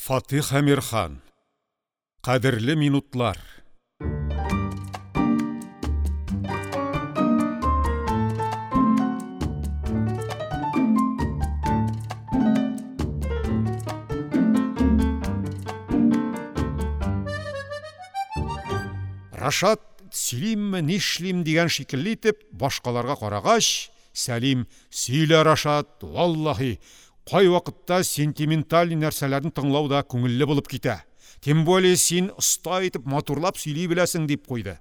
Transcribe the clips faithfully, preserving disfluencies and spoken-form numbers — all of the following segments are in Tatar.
Фатих Әмирхан. Кадерле минутлар. Рашат сөйлимме, нишлим дигән шикелле итеп башкаларга карагач, Сәлим: "Сөйлә, Рашат, валлаһи, кайвакытта сентименталь нәрсәләрне тыңлау да күңелле булып китә. Тем более син оста итеп матурлап сөйли беләсең", дип куйды.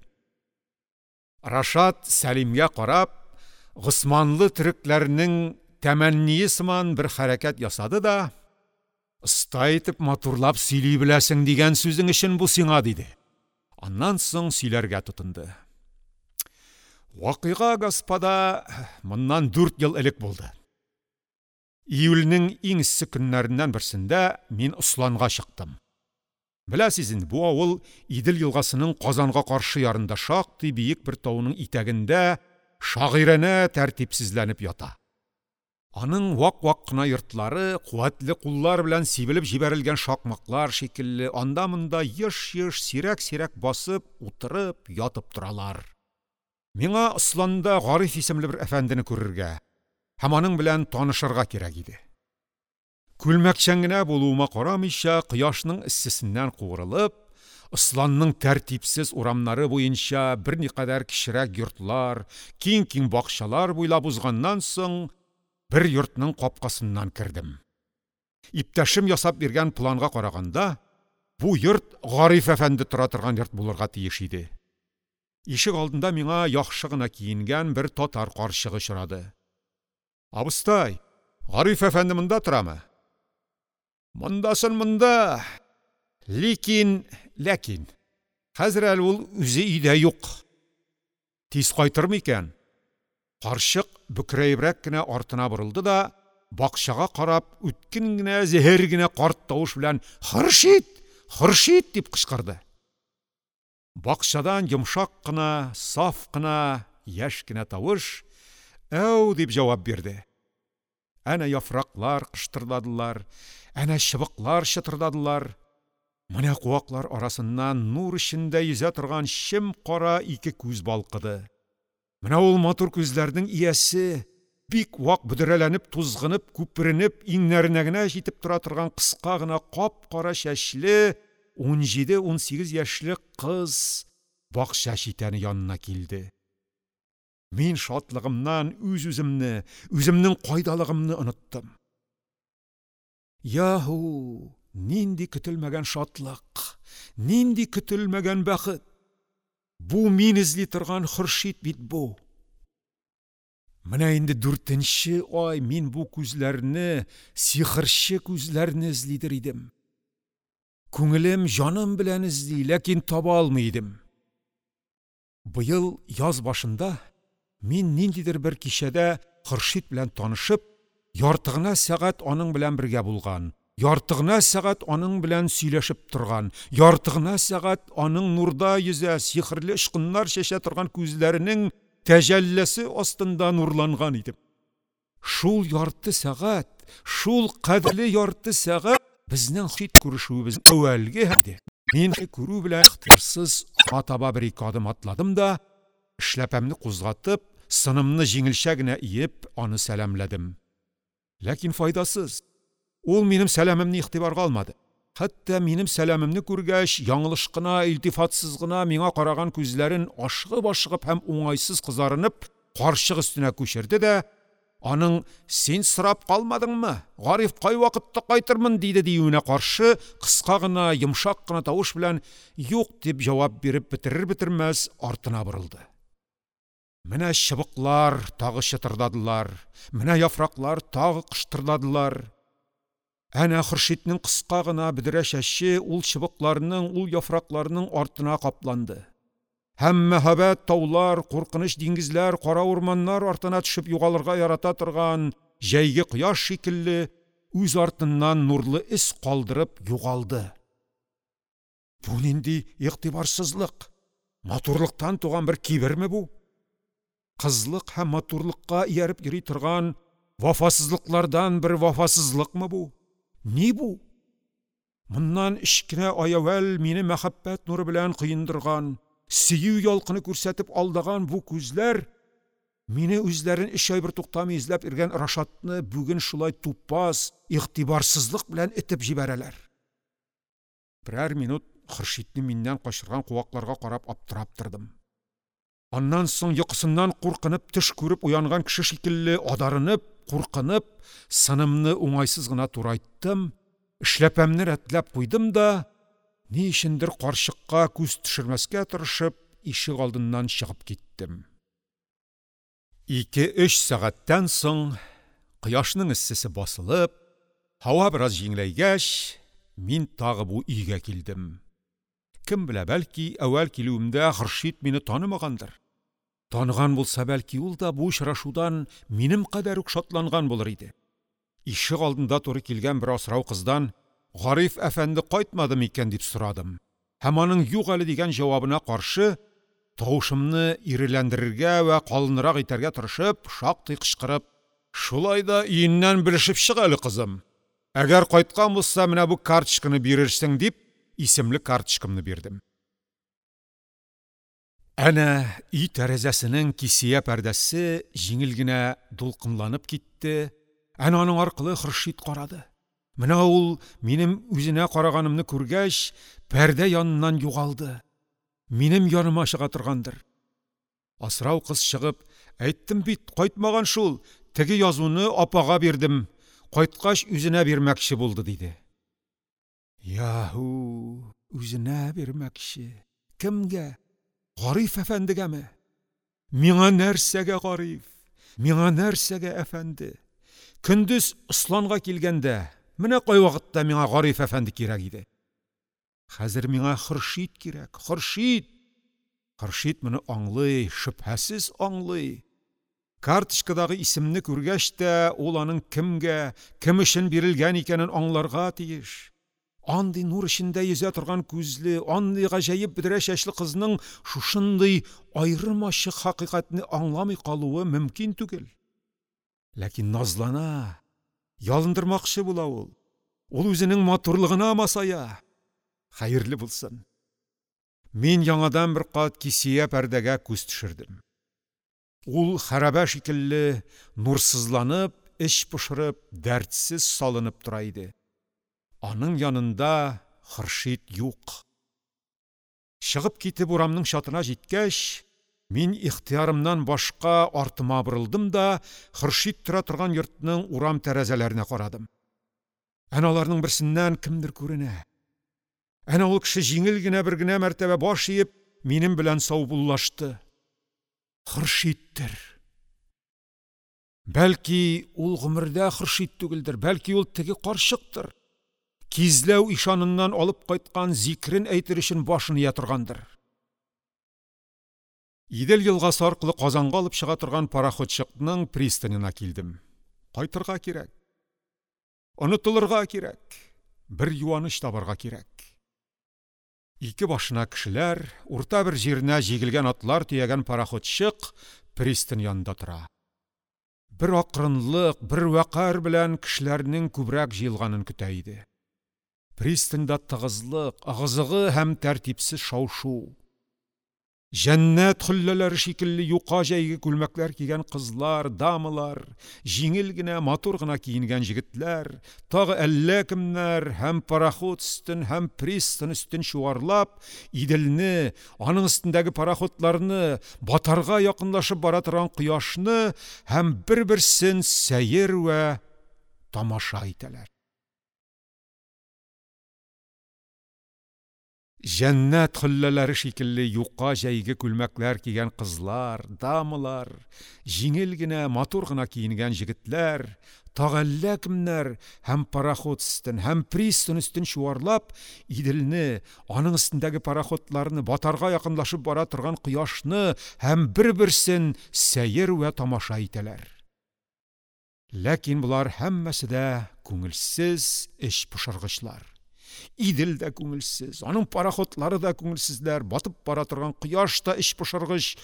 Рашат Сәлимгә карап, Госманлы төрекләрнең тәмәнние сыман бер хәрәкәт ясады да: "Оста итеп матурлап сөйли беләсең дигән сүзең өчен бу сиңа", диде. Аннан соң сөйләргә тотынды. Вакыйга, господа, моннан дүрт ел элек булды. Июльнең иң эссе көннәреннән берсендә мин Осланга чыктым. Беләсез инде, бу авыл Идел елгасының Казанга каршы ярында шактый биек бер тауның итәгендә шагыйрәнә тәртипсезләнеп ята. Аның вак-вак кына йортлары куәтле куллар белән сибелеп җибәрелгән шакмаклар шикелле анда-монда еш-еш, сирәк-сирәк басып, утырып, ятып торалар. Миңа Осланда Гариф исемле бер әфәндене күрергә һәм аның белән танышырга кирәк иде. Күлмәкчән генә булуыма карамыйча, кояшның эссесеннән куырылып, Осланның тәртипсез урамнары буенча берникадәр кечерәк йортлар, киң-киң бакчалар буйлап узганнан соң, бер йортның капкасыннан кердем. Иптәшем ясап биргән планга караганда, бу йорт Гариф әфәнде тора торган йорт булырга тиеш иде. Ишек алдында миңа яхшы гына киенгән бер татар карчыгы очрады. "Абыстай, Гариф әфәнде монда торамы?" "Мондасын монда. Ликин, ләкин хәзер әле ул үзе өйдә юк. Тиз кайтырмы икән?" Карчык бөкрәебрәк кенә артына борылды да, бакчага карап, үткен генә, зәһәр генә карт тавыш белән "Хөршит! Хөршит!" дип кычкырды. Бакчадан йомшак кына, саф кына, яшь кенә тавыш "Әү" дип җавап бирде. Әнә яфраклар кыштырдадылар, әнә чыбыклар чытырдадылар. Менә куаклар арасыннан нур эчендә йөзә торган чем кара ике күз балкыды. Менә ул матур күзләрнең иясе, бик вак бөдрәләнеп, тузгынып, күперенеп, иңнәренә генә җитеп тора торган кыска гына кап-кара чәчле ун җиде-ун сигез яшьлек кыз бакча читәне янына килде. Мин шатлыгымнан үз-үземне, үземнең кайдалыгымны оныттым. Яһу, нинди көтелмәгән шатлык, нинди көтелмәгән бәхет! Бу мин эзли торган Хөршит бит бу. Менә инде дүртенче ай мин бу күзләрне, сихерче күзләрне эзлидер идем. Күңелем, җаным белән эзли, ләкин таба алмый идем. Быел яз башында мин ниндидер бер кичәдә Хөршит белән танышып, ярты гына сәгать аның белән бергә булган, ярты гына сәгать аның белән сөйләшеп торган, ярты гына сәгать аның нурда йөзә, сихерле очкыннар чәчә торган күзләренең тәҗәлләсе астында нурланган идем. Шул ярты сәгать, шул кадерле ярты сәгать безнең Хөршит күрешүебез әүвәлге иде. Мин күрү белән ихтыярсыз аңа таба бер ике адым атладым да, эшләпәмне кузгатып, сынымны җиңелчә генә иеп, аны сәламләдем. Ләкин файдасыз. Ул минем сәламемне игътибарга алмады. Хәтта минем сәламемне күргәч, яңлыш кына, илтифатсыз гына миңа караган күзләрен ашыгып-ашыгып һәм уңайсыз кызарынып, карчык өстенә күчерде дә, аның "Син сорап калмадыңмы? Гариф кай вакытта кайтырмын?" диде диюенә каршы кыска гына, йомшак кына тавыш белән "Юк" дип җавап биреп бетерер-бетермәс артына борылды. Менә чыбыклар тагы чытырдадылар, менә яфраклар тагы кыштырдадылар. Әнә Хөршитнең кыска гына бөдрә чәче ул чыбыкларның, ул яфракларның артына капланды. Һәм мәһабәт таулар, куркыныч диңгезләр, кара урманнар артына төшеп югалырга ярата торган җәйге кояш шикелле үз артыннан нурлы эз калдырып югалды. Бу нинди игътибарсызлык? Матурлыктан туган бер киберме бу? Кызлык һәм матурлыкка ияреп йөри торган вафасызлыклардан бер вафасызлыкмы бу? Ни бу? Моннан өч кенә ай әүвәл мине мәхәббәт нуры белән коендырган, сөю ялкыны күрсәтеп алдаган бу күзләр мине үзләрен өч ай бертуктамый эзләп йөргән Рашатны бүген шулай тупас, игътибарсызлык белән этеп җибәрәләр. Берәр минут Хөршидне миннән качырган куакларга карап аптырап тордым. Аннан соң йокысыннан куркынып төш күреп уянган кеше шикелле адарынып, куркынып, сынымны уңайсыз гына турайттым, эшләпәмне рәтләп куйдым да, ни өчендер карчыкка күз төшермәскә тырышып, ишек алдыннан чыгып киттем. Ике-өч сәгатьтән соң кояшның эссесе басылып, һава бераз җиңеләйгәч, мин тагы бу өйгә килдем. Кем белә, бәлки әүвәл килүемдә Хөршид мине танымагандыр. Таныган булса, бәлки ул да бу очрашудан минем кадәр үк шатланган булыр иде. Ишек алдында туры килгән бер асрау кыздан «Гариф әфәнде кайтмады микән?» дип сорадым. Һәм аның «юк әле» дигән җавабына каршы тавышымны иреләндерергә вә калынрак итәргә тырышып, шактый кычкырып: «Шулай да өеннән белешеп чык әле, кызым. Әгәр кайткан булса, менә бу карточканы бирерсең», дип исемле карточкамны бирдем. Әнә өй тәрәзәсенең кисия пәрдәсе җиңел генә дулкынланып китте. Әнә аның аркылы Хөршид карады. Менә ул минем үзенә караганымны күргәч, пәрдә яныннан югалды. Минем яныма чыга торгандыр. Асрау кыз чыгып: «Әйттем бит, кайтмаган шул, теге язуны апага бирдем, кайткач үзенә бирмәкче булды», диде. Яһу, үзенә бирмәкче. Кемгә? Гариф әфәндегәме? Миңа нәрсәгә Гариф? Миңа нәрсәгә әфәнде? Көндез Осланга килгәндә, менә кай вакытта миңа Гариф әфәнде кирәк иде. Хәзер миңа Хөршид кирәк, Хөршид! Хөршид моны аңлый, шөбһәсез аңлый. Карточкадагы исемне күргәч тә, ул аның кемгә, кем өчен бирелгән икәнен аңларга тиеш. Андый нур эчендә йөзә торган күзле, андый гаҗәеп бөдрә чәчле кызның шушындый аерым-ачык хакыйкатьне аңламый калуы мөмкин түгел. Ләкин назлана, ялындырмакчы була ул. Ул үзенең матурлыгына масая. Хәерле булсын. Мин яңадан бер кат кисия пәрдәгә күз төшердем. Ул хәрабә шикелле нурсызланып, эч пошырып, дәртсез салынып тора иде. Аның янында Хөршид юк. Чыгып китеп урамның чатына җиткәч, мин ихтыярымнан башка артыма борылдым да Хөршид тора торган йортның урам тәрәзәләренә карадым. Әнә аларның берсеннән кемдер күренә. Әнә ул кеше җиңел генә бер генә мәртәбә баш иеп, минем белән саубуллашты. Хөршидтер. Бәлки ул гомердә Хөршид түгелдер, бәлки ул теге карчыктыр. Кизләү ишаныннан алып кайткан зикрен әйтер өчен башын ия торгандыр. Идел елгасы аркылы Казанга алып чыга торган пароходчыкның пристанена килдем. Кайтырга кирәк. Онытылырга кирәк. Бер юаныч табарга кирәк. Ике башына кешеләр, урта бер җиренә җигелгән атлар төягән пароходчык пристань янында тора. Бер акрынлык, бер вәкар белән кешеләрнең күбрәк җыелганын көтә иде. Пристаньда тыгызлык, ыгы-зыгы һәм тәртипсез шау-шу. Җәннәт хөлләләре шикелле юка җәйге күлмәкләр кигән кызлар, дамалар, җиңел генә, матур гына киенгән җегетләр, тагы әллә кемнәр һәм пароход өстен, һәм пристань өстен чуарлап, Иделне, аның өстендәге пароходларны, батарга якынлашып бара торган кояшны һәм бер-берсен сәер вә тамаша итәләр. Җәннәт хөлләләре шикелле юка җәйге күлмәкләр кигән кызлар, дамалар, җиңел генә, матур гына киенгән җегетләр, тагы әллә кемнәр һәм пароход өстен, һәм пристань өстен чуарлап, Иделне, аның өстендәге пароходларны, батарга якынлашып бара торган кояшны һәм бер-берсен сәер вә тамаша итәләр. Ләкин болар һәммәсе дә күңелсез эч пошыргычлар. Идел дә күңелсез, аның пароходлары да күңелсезләр, батып бара торган кояш та эч пошыргыч,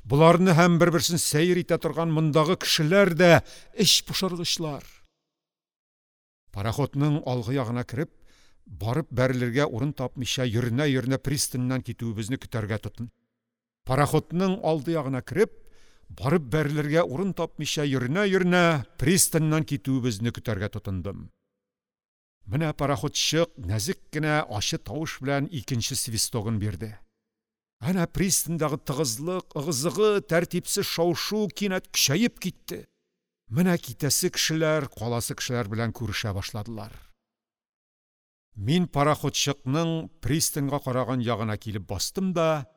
боларны һәм бер-берсен сәер итә торган мондагы кешеләр дә эч пошыргычлар. Пароходның алгы ягына кереп, Барып бәрелергә урын тапмыйча йөренә-йөренә пристаньнан китүебезне көтәргә тотын. Пароходның алды ягына кереп, барып бәрелергә урын тапмыйча йөренә-йөренә пристаньнан китүебезне көтәргә тотындым. Менә пароходчык нәзек кенә ачы тавыш белән икенче свистогын бирде. Әнә пристаньдагы тыгызлык, ыгы-зыгы, тәртипсез шау-шу кинәт көчәеп китте. Менә китәсе кешеләр, каласы кешеләр белән күрешә башладылар. Мин пароходчыкның пристаньга караган ягына килеп бастым да,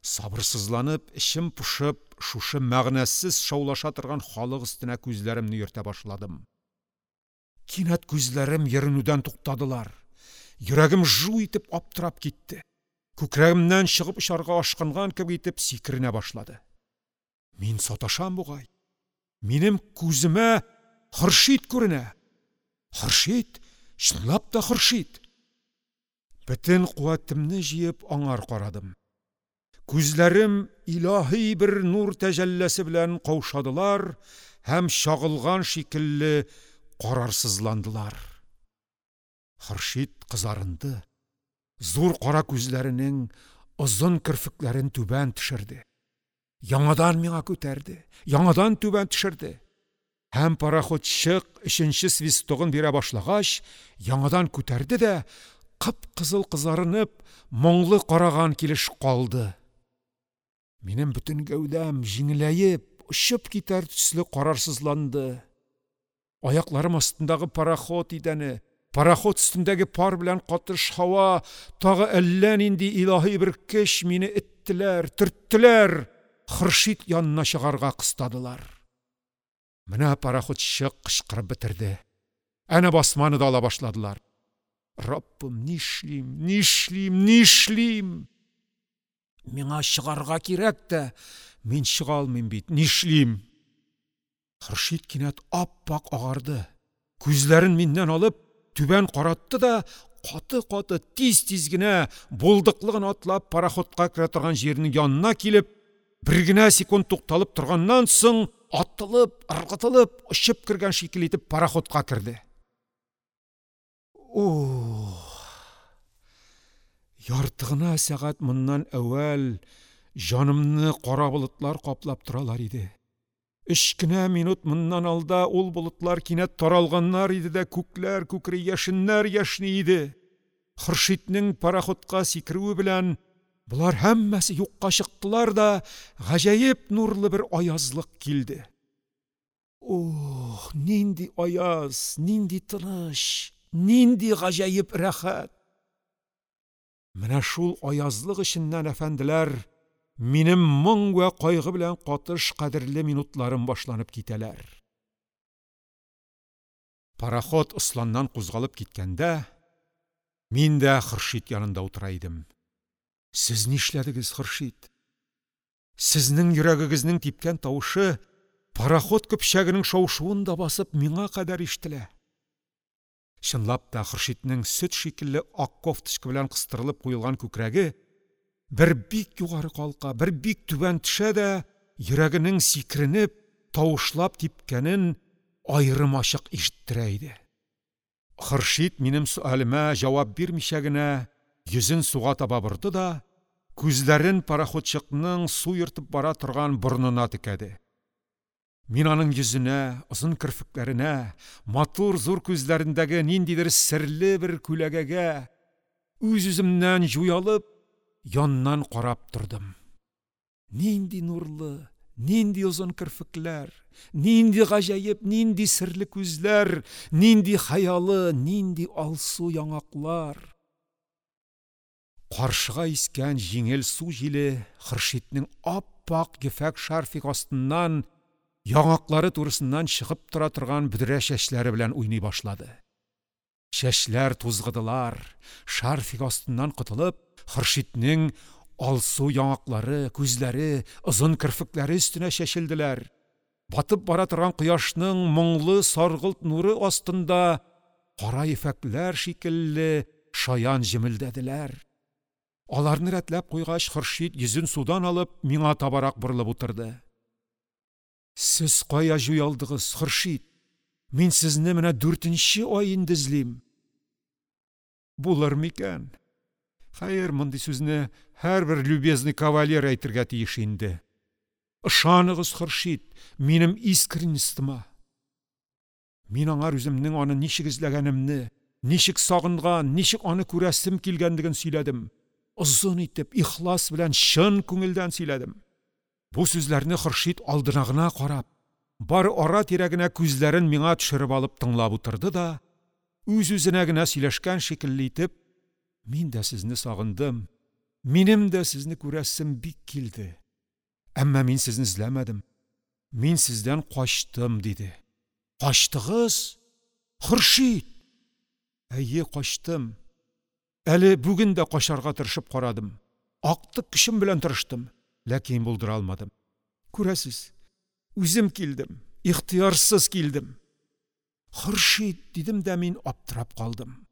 сабырсызланып, эчем пошып, шушы мәгънәсез шаулаша торган халык өстенә күзләремне йөртә башладым. Кинәт күзләрем йөренүдән туктадылар. Йөрәгем жу итеп аптырап китте. Күкрәгемнән чыгып очарга ашкынган кебек итеп сикеренә башлады. Мин саташам бугай. Минем күземә Хөршид күренә. Хөршид, чынлап та Хөршид. Бөтен куәтемне җыеп аңар карадым. Күзләрем илаһи бер нур тәҗәлләсе белән каушадылар һәм чагылган шикелле карарсызландылар. Хөршид кызарынды. Зур кара күзләренең озын керфекләрен түбән төшерде. Яңадан миңа күтәрде, яңадан түбән төшерде. Һәм пароходчык өченче свистогын бирә башлагач, яңадан күтәрде дә, кып-кызыл кызарынып, моңлы караган килеш калды. Минем бөтен гәүдәм җиңеләеп, очып китәр төсле карарсызланды. Аякларым астындагы пароход идәне, пароход өстендәге пар белән катыш һава, тагы әллә нинди илаһи бер көч мине иттеләр, төрттеләр, Хөршид янына чыгарга кыстадылар. Менә пароходчык кычкырып бетерде. Әнә басманы да ала башладылар. Раббым, нишлим, нишлим, нишлим? Миңа чыгарга кирәк тә, мин чыга алмыйм бит, нишлим? Хөршид кинәт ап-ак агарды. Күзләрен миннән алып, түбән каратты да, каты-каты, тиз-тиз генә, булдыклы гына атлап пароходка керә торган җирнең янына килеп, бер генә секунд тукталып торганнан соң, атылып, ыргытылып, очып кергән шикелле итеп пароходка керде. Ух! Ярты гына сәгать моннан әүвәл җанымны кара болытлар каплап торалар иде. Өч кенә минут моннан алда ул болытлар кинәт таралганнар иде дә, күкләр күкри, яшеннәр яшни иде. Хөршиднең пароходка сикерүе белән болар һәммәсе юкка чыктылар да, гаҗәеп нурлы бер аязлык килде. Ух, нинди аяз, нинди тыныч, нинди гаҗәеп рәхәт! Менә шул аязлык эченнән, әфәнделәр, минем моң вә кайгы белән катыш кадерле минутларым башланып китәләр. Пароход Осланнан кузгалып киткәндә, мин дә Хөршид янында утыра идем. Сез нишләдегез, Хөршид? Сезнең йөрәгегезнең типкән тавышы пароход көпчәгенең шау-шуын да басып миңа кадәр ишетелә. Чынлап та Хөршиднең сөт шикелле ак кофточка белән кыстырылып куелган күкрәге бер бик югары калка, бер бик түбән төшә дә, йөрәгенең сикеренеп, тавышлап типкәнен аерым ачык ишеттерә иде. Хөршид минем сөалемә җавап бирмичә генә йөзен суга таба борды да, күзләрен пароходчыкның су йөртеп бара торган борынына текәде. Мин аның йөзенә, озын керфекләренә, матур зур күзләрендәге ниндидер серле бер күләгәгә үз-үземнән җуялып, яннан карап тордым. Нинди нурлы, нинди озын керфекләр, нинди гаҗәеп, нинди серле күзләр, нинди хыялы, нинди алсу яңаклар. Каршыга искән җиңел су җиле Хөршиднең ап-ак ефәк шарфик астыннан, яңаклары турысыннан чыгып тора торган бөдрә чәчләре белән уйный башлады. Чәчләр тузгыдылар, шарфик астыннан котылып, Хөршиднең алсу яңаклары, күзләре, озын керфекләре өстенә чәчелделәр. Батып бара торган кояшның моңлы саргылт нуры астында кара ефәкләр шикелле шаян җемелдәделәр. Аларны рәтләп куйгач, Хөршид йөзен судан алып, миңа табарак борылып утырды. Сез кая җуялдыгыз, Хөршид? Мин сезне менә дүртенче ай инде эзлим. Булыр микән? Хәер, мондый сүзне һәрбер любезный кавалер әйтергә тиеш инде. Ышаныгыз, Хөршид, минем искренностыма. Мин аңар үземнең аны ничек эзләгәнемне, ничек сагынган, ничек аны күрәсем килгәнлеген сөйләдем. Озын итеп, ихлас белән, чын күңелдән сөйләдем. Бу сүзләрне Хөршид алдына гына карап, бары ара-тирә генә күзләрен миңа төшереп алып тыңлап утырды да, үз-үзенә генә сөйләшкән шикелле итеп: «Мин дә сезне сагындым, минем дә сезне күрәсем бик килде. Әмма мин сезне эзләмәдем. Мин сездән качтым», – диде. «Качтыгыз? Хөршид!» «Әйе, качтым. Әле бүген дә качарга тырышып карадым. Актык көчем белән тырыштым, ләкин булдыра алмадым. Күрәсез, үзем килдем, ихтыярсыз килдем». «Хөршид!» – дидем дә мин аптырап калдым.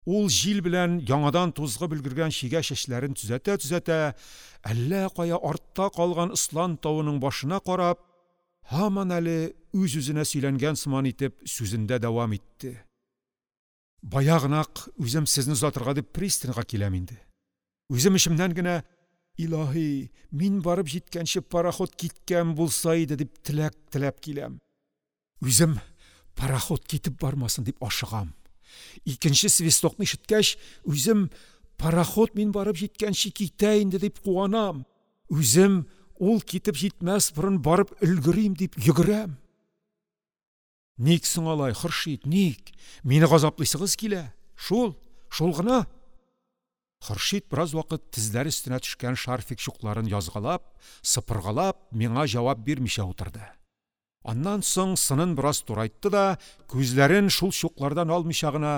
Ул җил белән яңадан тузгып өлгергән чигә чәчләрен төзәтә-төзәтә, әллә кая артта калган Ыслан тавының башына карап, һаман әле үз-үзенә сөйләнгән сыман итеп сүзендә дәвам итте. «Баягынак үзем сезне озатырга дип пристаньга киләм инде. Үзем эчемнән генә: «Илаһи, мин барып җиткәнче пароход киткән булса иде», – дип теләк теләп киләм. Үзем пароход китеп бармасын дип ашыгам. Икенче свистокны ишеткәч, үзем пароход мин барып җиткәнче китә инде дип куанам. Үзем ул китеп җитмәс борын барып өлгерим дип йөгерәм. Ник соң алай, Хөршид, ник? Мине газаплыйсыгыз килә? Шул, шул гына». Хөршид бераз вакыт тезләре өстенә төшкән шарфик чукларын язгалап, сыпыргалап, миңа җавап бирмичә утырды. Аннан соң сынын бераз турайтты да, күзләрен шул чуклардан алмыйча гына: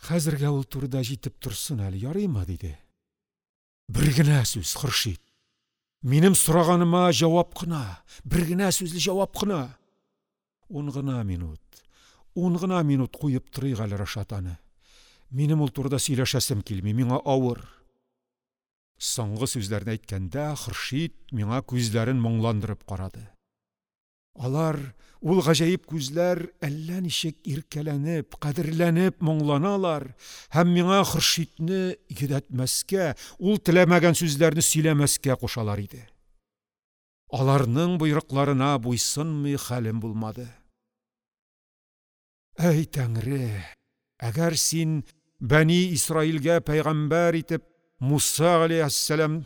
«Хәзергә ул турыда җитеп торсын әле, ярыймы?» – диде. «Бер генә сүз, Хөршид. Минем сораганыма җавап кына, бер генә сүзле җавап кына. Ун гына минут, ун гына минут куеп торыйк әле Рашат аны. Минем ул турыда сөйләшәсем килми, миңа авыр». Соңгы сүзләрне әйткәндә Хөршид миңа күзләрен моңландырып карады. Алар, ул гаҗәеп күзләр, әллә ничек иркәләнеп, кадерләнеп моңланалар һәм миңа Хөршидне йөдәтмәскә, ул теләмәгән сүзләрне сөйләмәскә кушалар иде. Аларның боерыкларына буйсынмый хәлем булмады. Әй Тәңре, әгәр син Бәни Исраилгә пәйгамбәр итеп Муса галәйһиссәлам,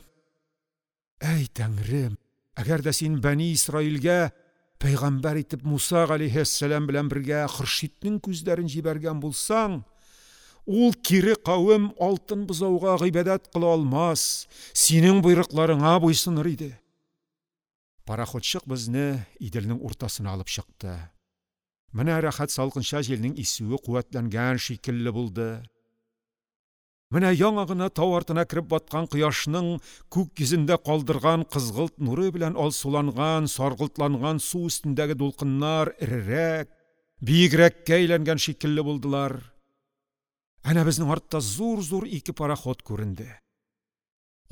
әй Тәңрем, әгәр дә син Бәни Исраилгә пәйгамбәр итеп Муса галәйһиссәлам белән бергә Хөршиднең күзләрен җибәргән булсаң, ул кире кавем алтын бозауга гыйбадәт кыла алмас, синең боерыкларыңа буйсыныр иде. Пароходчык безне Иделнең уртасына алып чыкты. Менә рәхәт салкынча җилнең исүе куәтләнгән шикелле булды. Менә яңа гына тау артына кереп баткан кояшның күк йөзендә калдырган кызгылт нуры белән алсуланган, саргылтланган су өстендәге дулкыннар эрерәк, биегрәккә әйләнгән шикелле булдылар. Әнә безнең артта зур-зур ике пароход күренде.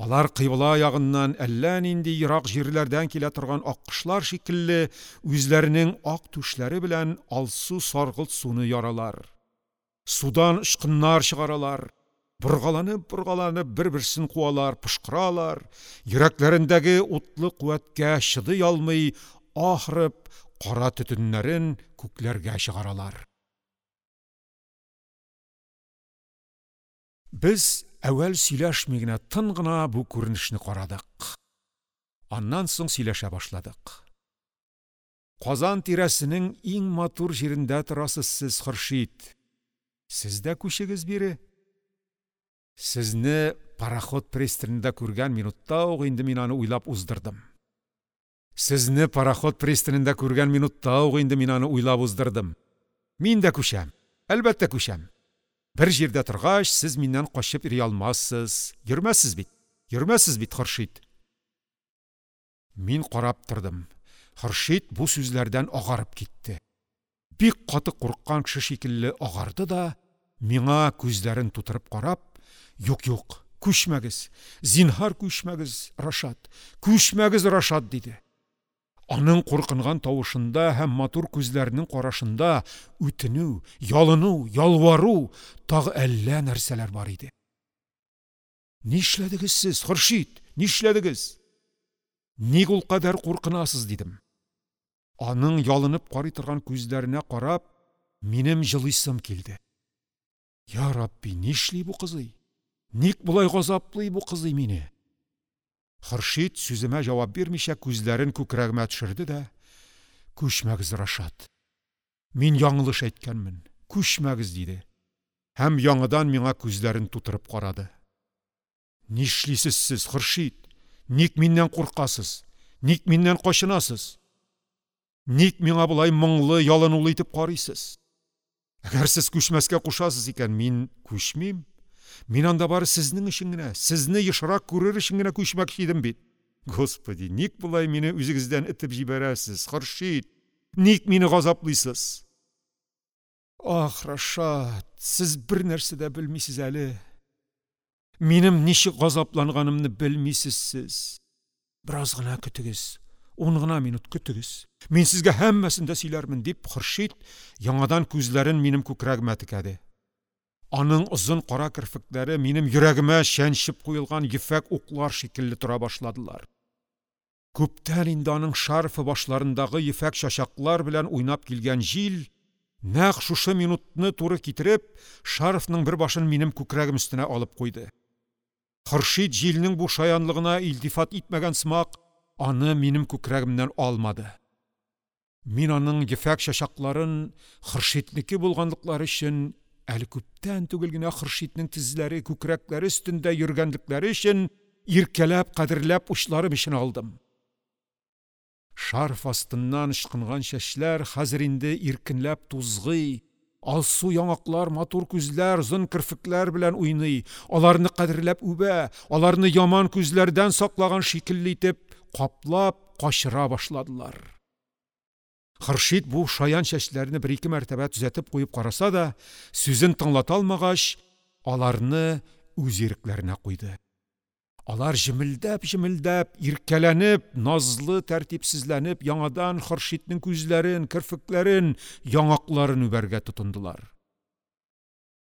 Алар кыйбла ягыннан әллә нинди ерак җирләрдән килә торган аккошлар шикелле үзләренең ак түшләре белән алсу саргылт суны яралар. Судан очкыннар чыгаралар. Боргаланып-боргаланып бер-берсен куалар, пошкыралар, йөрәкләрендәге утлы куәткә чыдый алмый, ахырып, кара төтеннәрен күкләргә чыгаралар. Без әүвәл сөйләшми генә, тын гына бу күренешне карадык. Аннан соң сөйләшә башладык. «Казан тирәсенең иң матур җирендә торасыз сез, Хөршид. Сез дә күчегез бире. Сезне пароход пристанында күргән минутта ук инде мин аны уйлап уздырдым. Сезне пароход пристанында күргән минутта ук инде мин аны уйлап уздырдым. Мин дә күчәм, әлбәттә күчәм. Бер җирдә торгач, сез миннән качып йөри алмассыз. Йөрмәссез бит, йөрмәссез бит, Хөршид». Мин карап тордым. Хөршид бу сүзләрдән агарып китте. Бик каты курыккан кеше шикелле агарды да, миңа күзләрен тутырып карап: «Юк, юк, күчмәгез, зинһар күчмәгез, Рашат, күчмәгез, Рашат», – диде. Аның куркынган тавышында һәм матур күзләренең карашында үтенү, ялыну, ялвару, тагы әллә нәрсәләр бар иде. Нишләдегез сез, Хөршид? Нишләдегез? Ник ул кадәр куркынасыз, дидем. Аның ялынып карый торган күзләренә карап, минем җылыйсым килде. Я Рабби, нишли бу кызый? Ник болай газаплый бу кызый мине? Хөршид сүземә җавап бирмичә күзләрен күкрәгемә төшерде дә: "Күчмәгез, Рашат. Мин яңлыш әйткәнмен. Күчмәгез", диде. Һәм яңадан миңа күзләрен тутырып карады. Нишлисез сез, Хөршид? Ник миннән куркасыз? Ник миннән качынасыз? Ник миңа болай моңлы, ялынулы итеп карыйсыз? Әгәр сез күчмәскә кушасыз икән, мин күчмим. Мин анда бары сезнең өчен генә, сезне ешрак күрер өчен генә күчмәкче идем бит. Господи, ник болай мине үзегездән этеп җибәрәсез, Хөршид? Ник мине газаплыйсыз? Ах, Рашат, сез бер нәрсә дә белмисез әле. Минем ничек газапланганымны белмисез сез. Бераз гына көтегез, ун гына минут көтегез. Мин сезгә һәммәсен дә сөйләрмен, дип Хөршид яңадан күзләрен минем күкрәгемә текәде. Аның озын кара керфекләре минем йөрәгемә чәнчеп куелган ефәк уклар шикелле тора башладылар. Күптән инде аның шарфы башларындагы ефәк чачаклар белән уйнап килгән җил, нәкъ шушы минутны туры китереп, шарфның бер башын минем күкрәгем өстенә алып куйды. Хөршид җилнең бу шаянлыгына илтифат итмәгән сымак, аны минем күкрәгемнән алмады. Мин аның ефәк чачакларын Хөршиднеке булганлыклары өчен, әле күптән түгел генә Хөршиднең тезләре, күкрәкләре өстендә йөргәнлекләре өчен иркәләп, кадерләп учларым өчен алдым. Шарф астыннан ычкынган чәчләр хәзер инде иркенләп тузгый, алсу яңаклар, матур күзләр, озын керфекләр белән уйный, аларны кадерләп үбә, аларны яман күзләрдән саклаган шикелле итеп каплап качыра башладылар. Хөршид бу шаян чәчләрне бер-ике мәртәбә төзәтеп куеп караса да, сүзен тыңлата алмагач, аларны үз ирекләренә куйды. Алар җемелдәп-җемелдәп, иркәләнеп, назлы тәртипсезләнеп, яңадан Хөршиднең күзләрен, керфекләрен, яңакларын үбәргә тотындылар.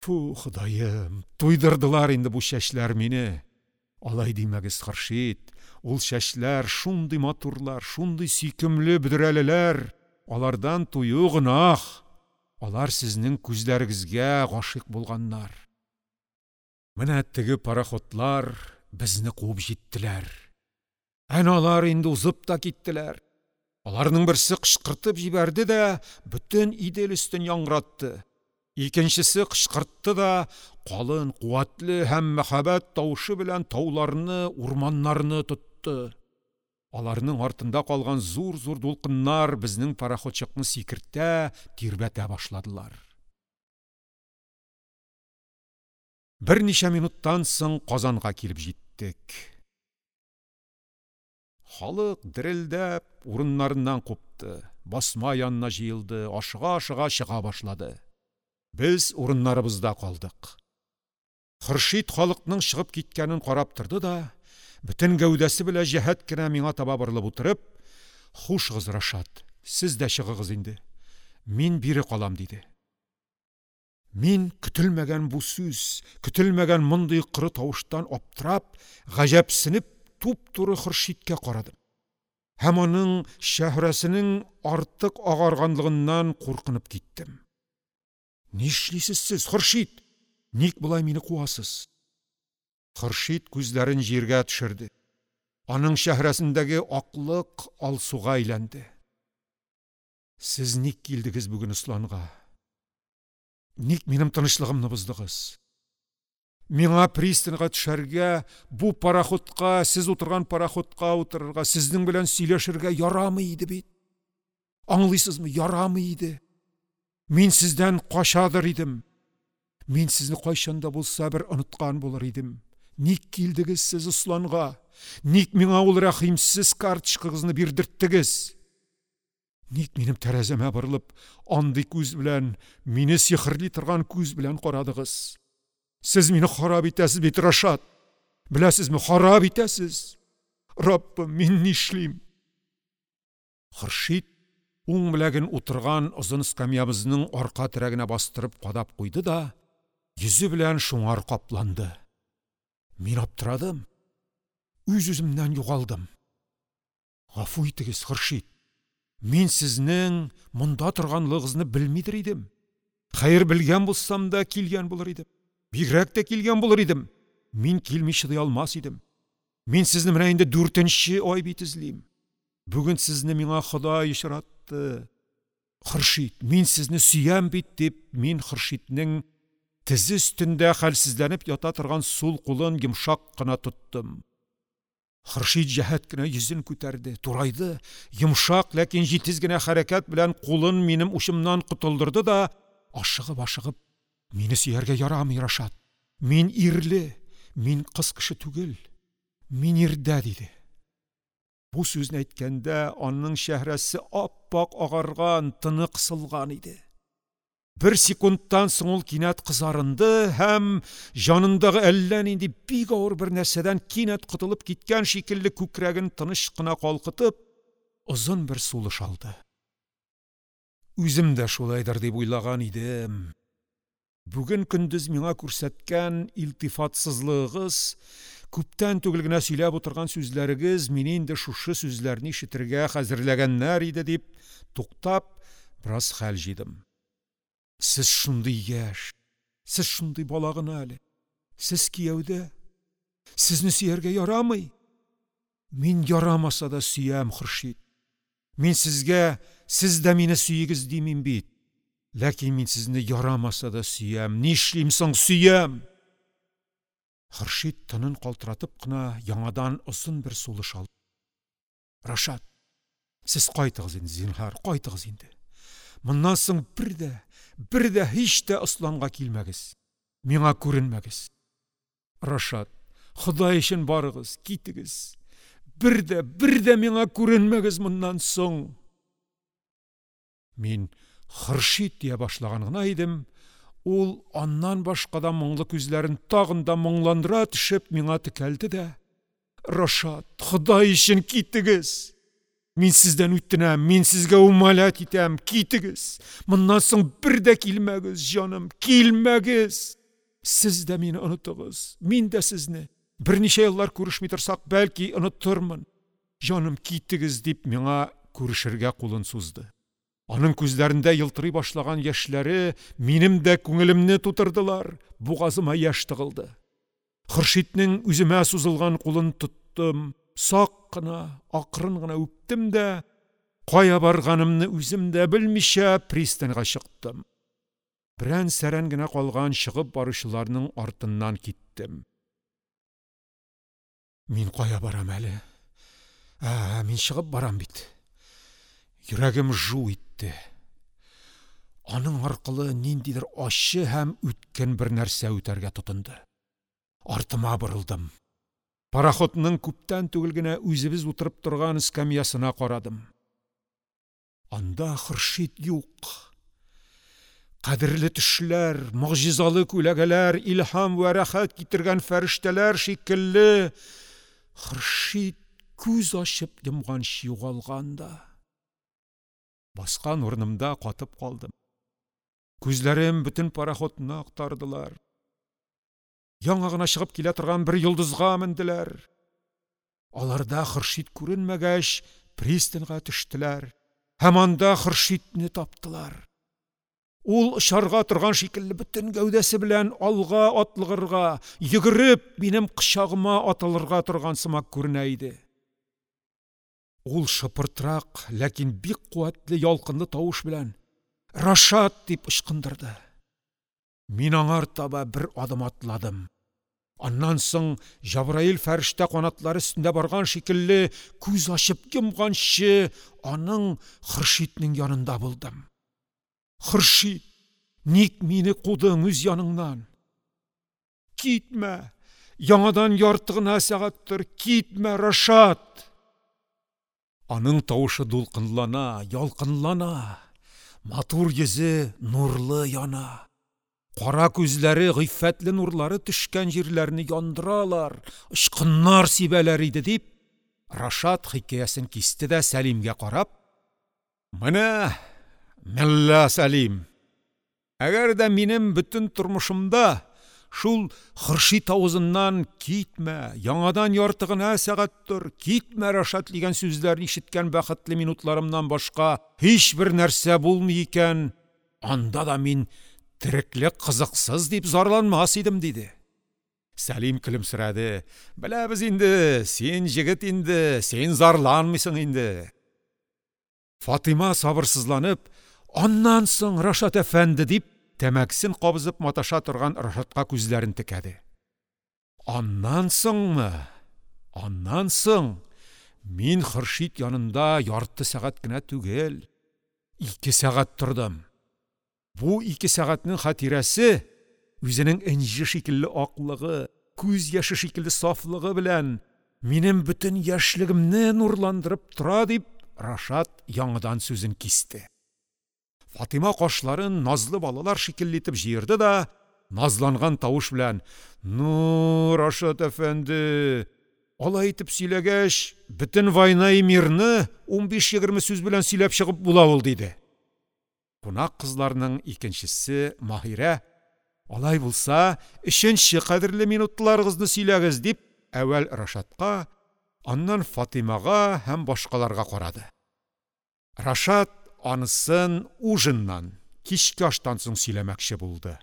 Фу, Ходаем, туйдырдылар инде бу чәчләр мине. Алай димәгез, Хөршид, ул чәчләр шундый матурлар, шундый сөйкемле бөдрәлеләр. Алардан тую гөнаһ. Алар сезнең күзләрегезгә гашыйк булганнар. Менә теге пароходлар безне куып җиттеләр. Әнә алар инде узып та киттеләр. Аларның берсе кычкыртып җибәрде дә, бөтен Идел өстен яңгыратты. Икенчесе кычкыртты да, калын, куәтле һәм мәһабәт тавышы белән тауларны, урманнарны тотты. Аларның артында калган зур-зур дулкыннар безнең пароходчыкны сикертә, тирбәтә башладылар. Берничә минуттан соң Казанга килеп җиттек. Халык дерелдәп урыннарыннан купты, басма янына җыелды, ашыга-ашыга чыга башлады. Без урыннарыбызда калдык. Хөршид халыкның чыгып киткәнен карап торды да, бөтен гәүдәсе белән җәһәт кенә миңа таба борылып утырып: "Хушыгыз, Рашат, сез дә чыгыгыз инде. Мин бире калам", диде. Мин көтелмәгән бу сүз, көтелмәгән мондый коры тавыштан аптырап, гаҗәпсенеп туп-туры Хөршидкә карадым. Һәм аның чәһрәсенең артык агарганлыгыннан куркынып киттем. Нишлисез сез, Хөршид? Ник болай мине куасыз? Хөршид күзләрен җиргә төшерде. Аның чәһрәсендәге аклык алсуга әйләнде. Сез ник килдегез бүген Осланга? Ник минем тынычлыгымны боздыгыз? Миңа пристаньга төшәргә, бу пароходка, сез утырган пароходка утырырга, сезнең белән сөйләшергә ярамый иде бит. Аңлыйсызмы? Ярамый иде. Мин сездән качадыр идем. Мин сезне кайчан да булса бер оныткан булыр идем. Ник килдегез сез Осланга? Ник миңа ул рәхимсез карточкагызны бирдерттегез? Ник минем тәрәзәмә борылып, андый күз белән, мине сихерли торган күз белән карадыгыз? Сез мине харап итәсез бит, Рашат. Беләсезме, харап итәсез. Раббым, мин нишлим? Хөршид уң беләген утырган озын скамьябызның арка терәгенә бастырып кадап куйды да, йөзе белән шуңар капланды. Мин аптырадым. Үз-үземнән югалдым. Гафу итегез, Хөршид. Мин сезнең монда торганлыгыгызны белмидер идем. Хәер, белгән булсам да килгән булыр идем. Бигрәк тә килгән булыр идем. Мин килми чыдый алмас идем. Мин сезне менә инде дүртенче ай бит эзлим. Бүген сезне миңа Ходай очратты. Хөршид, мин сезне сөям бит, дип, мин Хөршиднең тезе өстендә хәлсезләнеп ята торган сул кулын йомшак кына тоттым. Хөршид җәһәт кенә йөзен күтәрде, турайды, йомшак, ләкин җитез генә хәрәкәт белән кулын минем учымнан котылдырды да, ашыгып-ашыгып, мине сөяргә ярамый, Рашат. Мин ирле, мин кыз кеше түгел. Мин ирдә, диде. Бу сүзне әйткәндә аның чәһрәсе ап-ак агарган, тыны кысылган иде. Бер секундтан соң ул кинәт кызарынды һәм җанындагы әллә нинди бик авыр бер нәрсәдән кинәт котылып киткән шикелле күкрәген тыныч кына калкытып, озын бер сулыш алды. Үзем дә шулайдыр дип уйлаган идем. Бүген көндез миңа күрсәткән илтифатсызлыгыгыз, күптән түгел генә сөйләп утырган сүзләрегез мине инде шушы сүзләрне ишетергә хәзерләгәннәр иде дип, туктап, бераз хәл җыйдым. Сез шундый яшь, сез шундый бала гына әле. Сез кияүдә. Сезне сөяргә ярамый. Мин ярамаса да сөям, Хөршид. Мин сезгә, сез дә мине сөегез димим бит. Ләкин мин сезне ярамаса да сөям. Нишлим соң, сөям? Хөршид тынын калтыратып кына яңадан озын бер сулыш алды. Рашат, сез кайтыгыз инде, зинһар, кайтыгыз инде. Моннан соң бер дә, бер дә һич тә Осланга килмәгез. Миңа күренмәгез. Рашат, Ходай өчен барыгыз, китегез. Бер дә, бер дә миңа күренмәгез моннан соң. Мин Хөршид дия башлаган гына идем, ул аннан башка да моңлы күзләрен тагын да моңландыра төшеп миңа текәлде дә, Рашат, Ходай өчен китегез. Мин сездән үтенәм, мин сезгә умалят итәм, китегез. Моннан соң бер дә килмәгез, җаным, килмәгез. Сез дә мине онытыгыз, мин дә сезне. Берничә еллар күрешми торсак, бәлки онытырмын. Җаным, китегез, дип миңа күрешергә кулын сузды. Аның күзләрендә йылтырый башлаган яшьләре минем дә күңелемне тутырдылар, бугазыма яшь тыгылды. Хөршиднең үземә сузылган кулын тоттым, сак кына, акрын гына үптем дә, кая барганымны үзем дә белмичә пристаньга чыктым. Берән-сәрән генә калган чыгып баручыларның артыннан киттем. Мин кая барам әле? Ә, мин чыгып барам бит. Йөрәгем жу итте. Аның аркылы ниндидер ачы һәм үткен бер нәрсә үтәргә тотынды. Артыма борылдым. Пароходның күптән түгел генә үзебез утырып торган скамьясына карадым. Анда Хөршид юк. Кадерле төшләр, могҗизалы күләгәләр, илһам вә рәхәт китергән фәрештәләр шикелле Хөршид күз ачып йомганчы югалган да. Баскан урынымда катып калдым. Күзләрем бөтен пароходны актардылар. Яңа гына чыгып килә торган бер йолдызга менделәр. Аларда Хөршид күренмәгәч, пристаньга төштеләр һәм анда Хөршидне таптылар. Ул очарга торган шикелле бөтен гәүдәсе белән алга атлыгырга, йөгереп минем кочагыма атылырга торган сымак күренә иде. Ул шыпыртрак, ләкин бик куәтле ялкынлы тавыш белән «Рашат!» дип ычкындырды. Мин аңар таба бер адым атладым. Аннан соң Җабраил фәрештә канатлары өстендә барган шикелле күз ачып йомганчы аның Хөршиднең янында булдым. Хөршид, ник мине кудың үз яныңнан? Китмә, яңадан ярты гына сәгатьтер, китмә, Рашат! Аның тавышы дулкынлана, ялкынлана, матур йөзе нурлы яна. Кара күзләре гыйффәтле нурлары төшкән җирләрне яндыралар, очкыннар сибәләр иде дип, Рашат хикәясен кисте дә Сәлимгә карап, Менә, мелла Сәлим, әгәр дә минем бөтен тормышымда шул Хөршит авызыннан «китмә, яңадан ярты гына сәгать тор, китмә, Рашат» дигән сүзләрне ишеткән бәхетле минутларымнан башка һичбер нәрсә булмый икән, анда да мин тереклек кызыксыз дип зарланмас идем, диде. Сәлим көлемсерәде. Беләбез инде, син җегет инде, син зарланмыйсың инде. Фатыйма сабырсызланып, аннан соң Рашат әфәнде дип, тәмәкесен кабызып маташа торган Рашатка күзләрен текәде. Аннан соңмы? Аннан соң мин Хөршит янында ярты сәгать кенә түгел, ике сәгать тордым. Бу ике сәгатьнең хатирәсе үзенең энҗе шикелле аклыгы, күз яше шикелле сафлыгы белән минем бөтен яшьлегемне нурландырып тора, дип Рашат яңадан сүзен кисте. Фатыйма кашларын назлы балалар шикелле итеп җыерды да, назланган тавыш белән: «Ну, Рашат әфәнде, алай итеп сөйләгәч, бөтен «Война и мир»ны унбиш-егерме сүз белән сөйләп чыгып була ул», диде. Кунак кызларның икенчесе Маһирә: «Алай булса, өченче кадерле минутларыгызны сөйләгез», дип, әүвәл Рашатка, аннан Фатыймага һәм башкаларга карады. Рашат анысын ужиннан, кичке аштан соң сөйләмәкче булды.